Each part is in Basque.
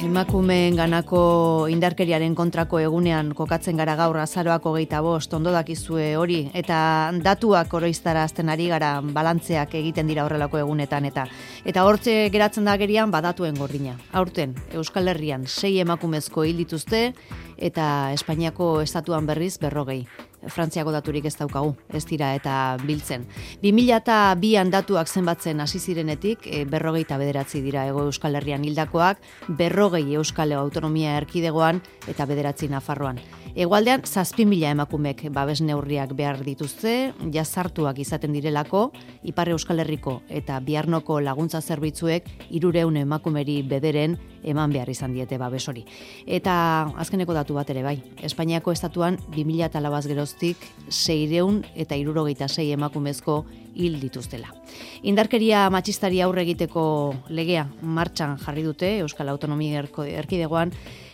Emakumeen ganako indarkeriaren kontrako egunean kokatzen gara gaur azaroak 25, ondo dakizue hori, eta datuak oroiztarazten ari gara, balantzeak egiten dira horrelako egunetan, eta hortze geratzen da gerian badatuen gordina. Aurten, Euskal Herrian 6 emakumezko hil dituzte, eta Espainiako estatuan berriz 40. Frantziako daturik ez daukagu, ez dira eta biltzen. 2002an datuak zenbatzen hasi zirenetik, 49 dira Hego Euskal Herrian hildakoak, 40 Euskal Autonomia Erkidegoan eta 9 Nafarroan. Hegoaldean 7.000 emakumek babes neurriak behar dituzte, jazartuak izaten direlako, Ipar Euskal Herriko eta Biarnoko laguntza zerbitzuek 300 emakumeri bederen eman behar izan diete babes hori. Eta azkeneko datu bat ere bai, Espainiako estatuan 2004 geroztik 676 emakumezko hil dituztela. Indarkeria matxistari aurre egiteko legea martxan jarri dute Euskal Autonomia Erkidegoan,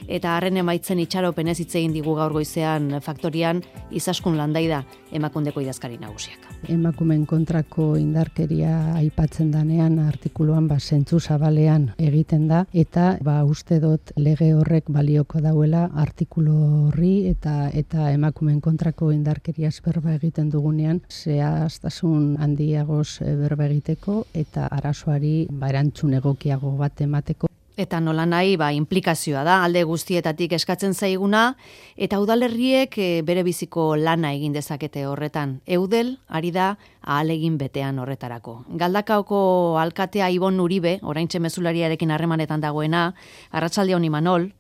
eta harren emaitzen itxaropenez hitz egin digu gaur goizean faktorian Izaskun Landaida Emakundeko idazkari nagusiak. Emakumeen kontrako indarkeria aipatzen danean artikuluan zentzu zabalean egiten da, eta uste dut lege horrek balioko dauela artikulu horri eta emakumeen kontrako indarkeria berba egiten dugunean zehaztasun handiagoz berba egiteko eta arazoari erantzun egokiago bat emateko. Eta nola nahi, implikazioa da, alde guztietatik eskatzen zaiguna, eta udalerriek bere biziko lana egin dezakete horretan. Eudel, ari da, ahalegin betean horretarako. Galdakaoko alkatea Ibon Uribe, oraintxe mezulariarekin harremanetan dagoena, arratsaldeon Imanol.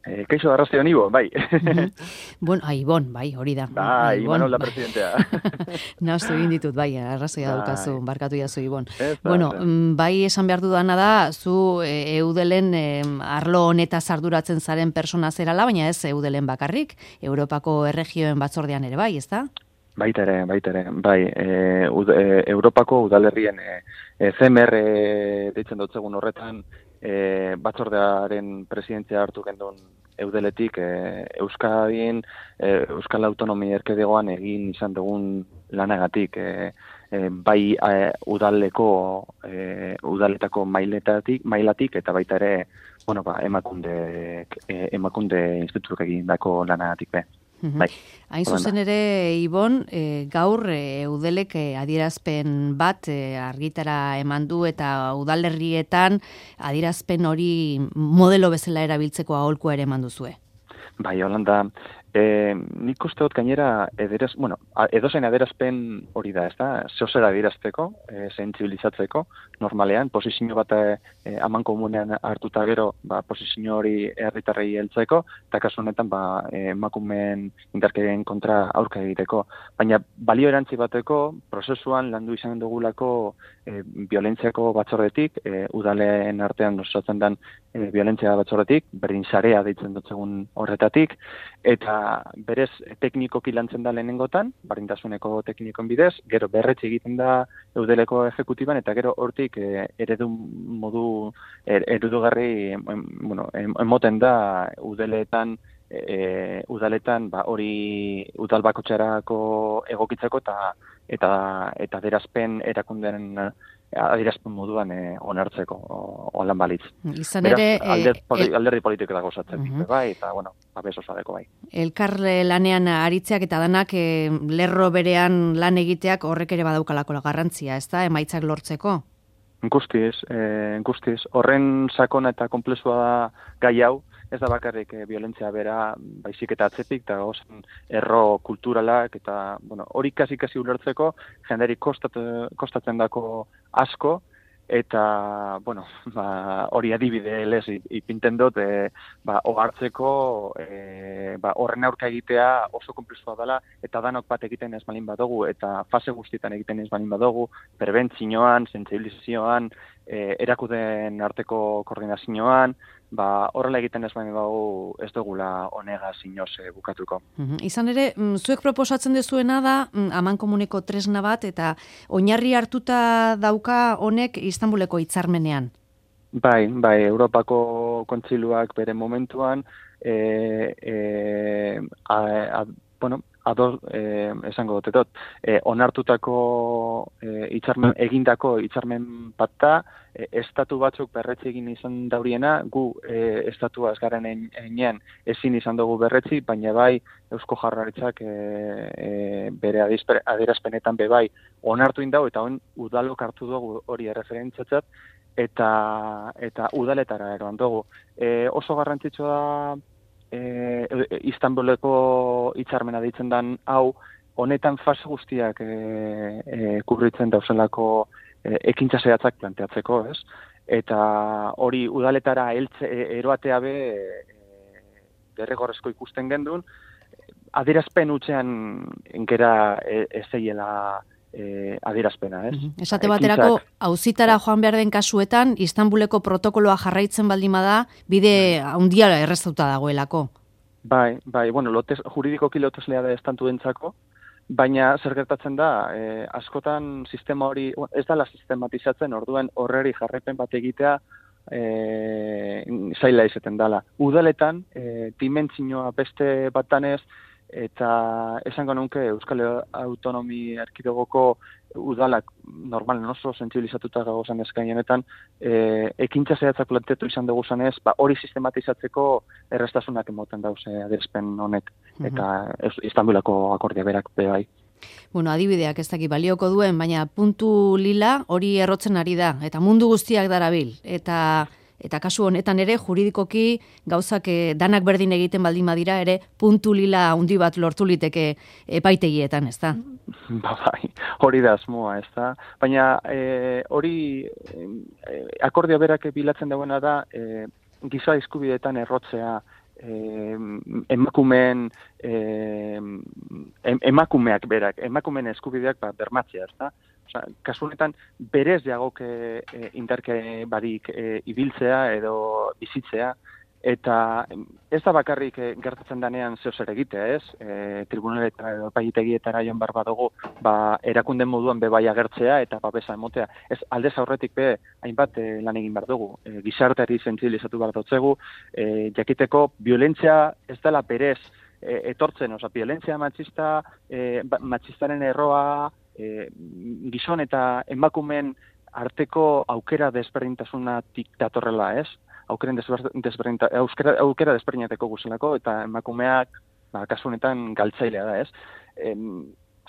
Kaixo arrastian Ibon, bai. Bueno, Ibon, bai, hori da. Bai, Imanol la presidentea. Nastu egin ditut, bai, arrazoia daukazu, barkatu jazu Ibon. Bueno, bai esan behar dudana da, zu Eudelen arlo honetaz arduratzen zaren persona zerala, baina ez Eudelen bakarrik, Europako erregioen batzordean ere bai, ezta? Baita ere, bai, Europako udalerrien CMR deitzen dutzegun horretan, batzordearen presidentzia hartu gendun Eudeletik Euskadin, Euskal Autonomia Erkidegoan egin izan dugun lanagatik, bai udaletako mailatik eta baita ere, emakunde institutuk egindako lanagatik be. Bai. Hain zuzen ere, Ibon, gaur Eudelek adierazpen bat argitara eman du eta udalerrietan adierazpen hori modelo bezala erabiltzeko aholkua ere eman duzue. Bai, Holanda, nik uste dut gainera edozein adierazpen hori da, ez da? Zeozera adierazteko, sentsibilizatzeko, normalean, posizio bat aman komunean hartuta gero, posizio hori herritarrei heltzeko, eta kasu honetan, emakumeen indarkerien kontra aurka egiteko. Baina balio erantzi bateko, prozesuan landu izan dugulako violentziako batzordetik, udaleen artean osatzen den violentzia batzordetik, berdin sarea deitzen dutzegun horretatik, eta berez teknikoki lantzen da lehenengotan, berdintasuneko teknikon bidez, gero berretxe egiten da Eudeleko ejekutiban, eta gero hortik eredugarri emoten da udaletan hori udal bakotxarako egokitzeko eta adierazpen erakundeen adierazpen moduan onartzeko holan balitz. Izan ere alderdi politiko dago zatzen, bai, eta babes osadeko bai. Elkar lanean aritzeak eta danak lerro berean lan egiteak horrek ere badaukalako garrantzia, ezta, emaitzak lortzeko? Guztiz. Horren sakona eta konplexua da gai hau, ez da bakarrik violentzia bera, baizik eta atzetik, eta erro kulturalak, eta hori kasi ulertzeko, jenderi kostatzen dako asko, eta hori adibide lez ipinten dut, ohartzeko horren aurka egitea oso konplexua dela, eta danok bat egiten ez balin badugu, eta fase guztietan egiten ez balin badugu, prebentzioan, sentsibilizazioan, erakuden arteko koordinazioan, horrela egiten ez baina ez dugula honega sinoz bukatuko. Izan ere, zuek proposatzen dezuena da, amankomuneko tresna bat, eta oinarri hartuta dauka honek Istanbuleko hitzarmenean. Bai, Europako Kontsiluak bere momentuan bueno, esango dutetot, onartutako egindako hitzarmen bat da, estatu batzuk berretzi egin izan dauriena, gu estatua ez garen einean ezin izan dugu berretzi, baina bai Eusko Jaurlaritzak bere adierazpenetan bai onartu indau, eta udalok hartu dugu hori erreferentziatzat, eta udaletara eroan dugu. Oso garrantzitsua da Istanbuleko hitzarmena deitzen den hau, honetan fase guztiak kubritzen dauzelako ekintza zehatzak planteatzeko, ez? Eta hori udaletara eroatea derrigorrezko ikusten gendun, adierazpen utzean enkera ezeiela adierazpena, ez? Esate baterako, auzitara joan behar den kasuetan, Istanbuleko protokoloa jarraitzen baldin bada, bide handia erreztuta dagoelako. Bai, bueno, juridikoki loteslea da estantuentzako, baina zer gertatzen da, askotan sistema hori, ez dela sistematizatzen, orduan horreri jarraipen bat egitea zaila izaten dela. Udaletan, dimentzioa beste batanez, eta esango nunke Euskal Autonomi Erkidegoko udalak normalen oso sentsibilizatuta gagozan eskainonetan, ekintza zehatzak planteatu izan dugu zanez, hori sistematizatzeko errestasunak emoten dauze adierazpen honek, eta Istanbulako akordia berak bai. Bueno, adibideak ez daki balioko duen, baina puntu lila hori errotzen ari da, eta mundu guztiak darabil, eta kasu honetan ere juridikoki gauzak danak berdin egiten baldin badira ere puntu lila handi bat lortu liteke epaitegietan, ez da? Bai, hori da asmoa, ez da? Baina hori akordio berak bilatzen dauena da giza eskubideetan errotzea emakumeak berak, emakumeen eskubideak bermatzea, ez da? Kasu honetan, berez jagoke indarke barik ibiltzea edo bizitzea, eta ez da bakarrik gertatzen danean zeozer egitea, ez? Tribunaletara edo epaitegietara joan behar badugu, erakunde moduan bai agertzea eta babesa emotea. Ez aldez aurretik hainbat lan egin behar dugu. Gizarteari sentsibilizatu behar dutzegu, jakiteko violentzia ez dela berez etortzen, violentzia matxistaren erroa, gizon eta emakumeen arteko aukera desberdintasunatik datorrela, ez? Aukera desberdinateko guzelako, eta emakumeak, kasu honetan galtzailea da, ez?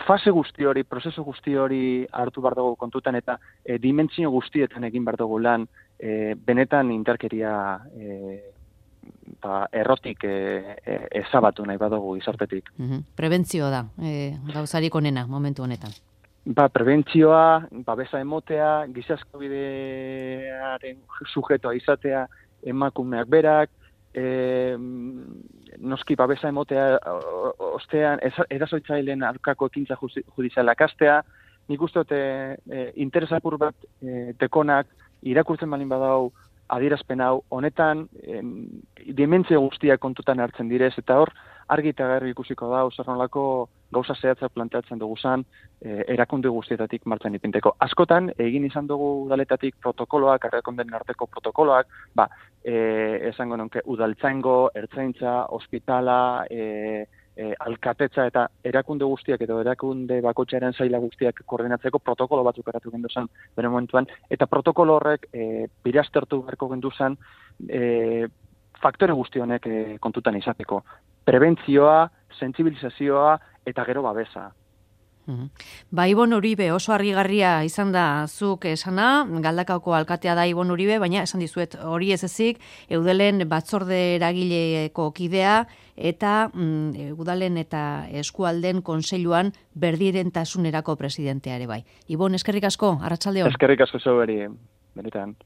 Fase guzti hori, prozesu guzti hori hartu behar dugu kontutan, eta dimentsio guztietan egin behar dugu lan, benetan indarkeria errotik ezabatu nahi badugu gizartetik. Prebentzio da, gauzarik onena momentu honetan. Prebentzioa, babesa emotea, giza eskubidearen sujetoa izatea, emakumeak berak, noski babesa emotea ostean, erasoitzaileen aurkako ekintza judizialak hastea, nik uste dute interesapur bat tekonak irakurtzen balin badau adierazpen hau, honetan dimentsio guztiak kontutan hartzen direz, eta hor argi eta garbi ikusiko da, zer nolako gauza zehatzak planteatzen dugu zan, erakunde guztietatik martxan ipinteko. Askotan, egin izan dugu udaletatik protokoloak, erakundeen arteko protokoloak, esango nonke udaltzaingo, ertzaintza, ospitala, alkatetza eta erakunde guztiak edo erakunde bakoitzaren saila guztiak koordinatzeko protokolo batzuk eratu gendu zen bere momentuan, eta protokolo horrek biraztertu beharko gendu zen faktore guzti honek kontutan izateko. Prebentzioa, sentsibilizazioa eta gero babesa. Ibon Uribe, oso argigarria izan da zuk esana, Galdakaoko alkatea da Ibon Uribe, baina esan dizuet hori ez ezik, Eudelen batzorde eragileko kidea, eta Udalen eta Eskualden Kontseiluan berdintasunerako presidentea ere bai. Ibon, eskerrik asko, arratsalde on. Eskerrik asko zuberi, benetan.